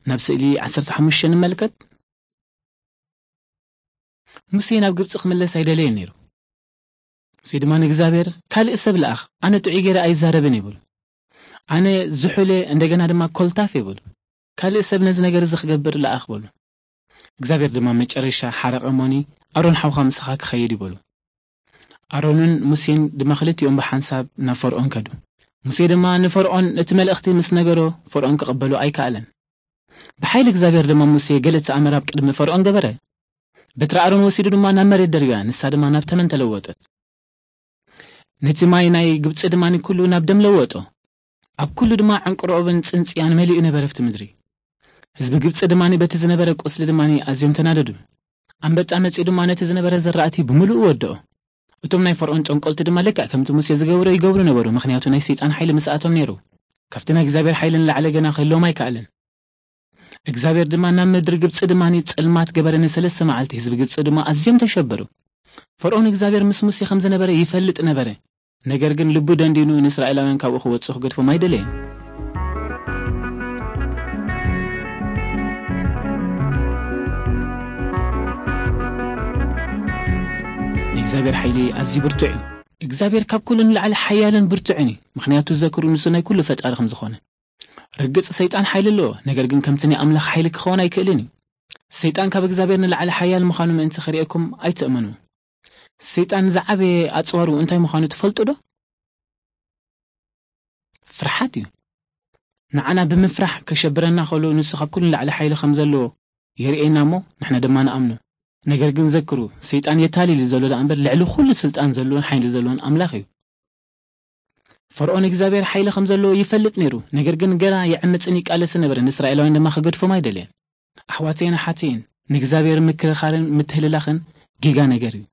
ናብ ስእሊ ዓሰርተ ሓሙሽተ ንመልከት። ሙሴ ናብ ግብፂ ክምለስ ኣይደለየን ነይሩ። ሙሴ ድማ ንእግዚኣብሔር፣ "ካልእ ሰብ ለኣኽ፣ ኣነ ጥዑይ ገይረ ኣይዛረብን" ይብል። "ኣነ ዝሑለ፣ እንደገና ድማ ኮልታፍ" ይብል። "ካልእ ሰብ ነዚ ነገር እዚ ክገብር ለኣኽ" በሉ። እግዚኣብሔር ድማ መጨረሻ ሓረቐ እሞኒ፣ "ኣሮን ሓውኻ ምሳኻ ክኸይድ" ይበሉ። ኣሮንን ሙሴን ድማ ክልቲኦም ብሓንሳብ ናብ ፈርዖን ከዱ። ሙሴ ድማ ንፈርዖን ነቲ መልእኽቲ ምስ ነገሮ፣ ፈርዖን ክቕበሎ ኣይከኣለን። ብሓይሊ እግዚኣብሔር ድማ ሙሴ ገለ ተኣምር ኣብ ቅድሚ ፈርዖን ገበረ። በትሪ ኣሮን ወሲዱ ድማ ናብ መሬት ደርብያ፣ ንሳ ድማ ናብ ተመን ተለወጠት። ነቲ ማይ ናይ ግብጺ ድማ ኩሉ ናብ ደም ለወጦ። ኣብ ኩሉ ድማ ዕንቅሮብን ጽንጽያን መሊኡ ነበረ ኣብቲ ምድሪ። ህዝቢ ግብጺ ድማ በቲ ዝነበረ ቁስሊ ድማ ኣዝዮም ተናደዱ። ኣንበጣ መጺኡ ድማ ነቲ ዝነበረ ዘራእቲ ብምሉኡ ወደኦ። እቶም ናይ ፈርዖን ጠንቆልቲ ድማ ልክዕ ከምቲ ሙሴ ዝገብሮ ይገብሩ ነበሩ፣ ምኽንያቱ ናይ ሰይጣን ሓይሊ ምስኣቶም ነይሩ። ካብቲ ናይ እግዚኣብሔር ሓይሊ ንላዕሊ ገና ክህልዎም ኣይከኣለን። እግዚኣብሔር ድማ ናብ ምድሪ ግብጺ ድማ ጸልማት ገበረ፣ ንሰለስተ መዓልቲ ህዝቢ ግብጺ ድማ ኣዝዮም ተሸበሩ። ፈርዖን እግዚኣብሔር ምስ ሙሴ ከም ዝነበረ ይፈልጥ ነበረ፣ ነገር ግን ልቡ ደንዲኑ ንእስራኤላውያን ካብኡ ክወጽኡ ክገድፎም ኣይደለየን። ንእግዚኣብሔር ሓይሊ ኣዝዩ ብርቱዕ እዩ። እግዚኣብሔር ካብ ኩሉ ንላዕሊ ሓያልን ብርቱዕን እዩ፣ ምኽንያቱ ዘክሩ ንሱ ናይ ኩሉ ፈጣሪ ከም ዝኾነ። ርግጽ ሰይጣን ሓይሊ ኣለዎ፣ ነገር ግን ከምቲ ናይ ኣምላኽ ሓይሊ ክኸውን ኣይክእልን እዩ። ሰይጣን ካብ እግዚኣብሔር ንላዕሊ ሓያል ምዃኑ ምእንቲ ክርእየኩም ኣይትእመኑ። ሰይጣን ዝዓበየ ኣጽዋሩ እንታይ ምዃኑ ትፈልጡ ዶ? ፍርሓት እዩ። ንዓና ብምፍራሕ ከሸብረና ከሎ ንሱ ካብ ኩሉ ንላዕሊ ሓይሊ ከም ዘለዎ የርእየና እሞ ንሕና ድማ ንኣምኖ። ነገር ግን ዘክሩ፣ ሰይጣን የታልል እዩ ዘሎ ደኣ እምበር ልዕሊ ኩሉ ስልጣን ዘለዎን ሓይሊ ዘለዎን ኣምላኽ እዩ። ፈርዖን እግዚኣብሔር ሓይሊ ከም ዘለዎ ይፈልጥ ነይሩ፣ ነገር ግን ገና ይዕምጽን ይቃለስን ነበረ፣ ንእስራኤላውያን ድማ ክገድፎም ኣይደለየን። ኣሕዋተይን ኣሓተይን፣ ንእግዚኣብሔር ምክርኻርን ምትህልላኽን ጌጋ ነገር እዩ።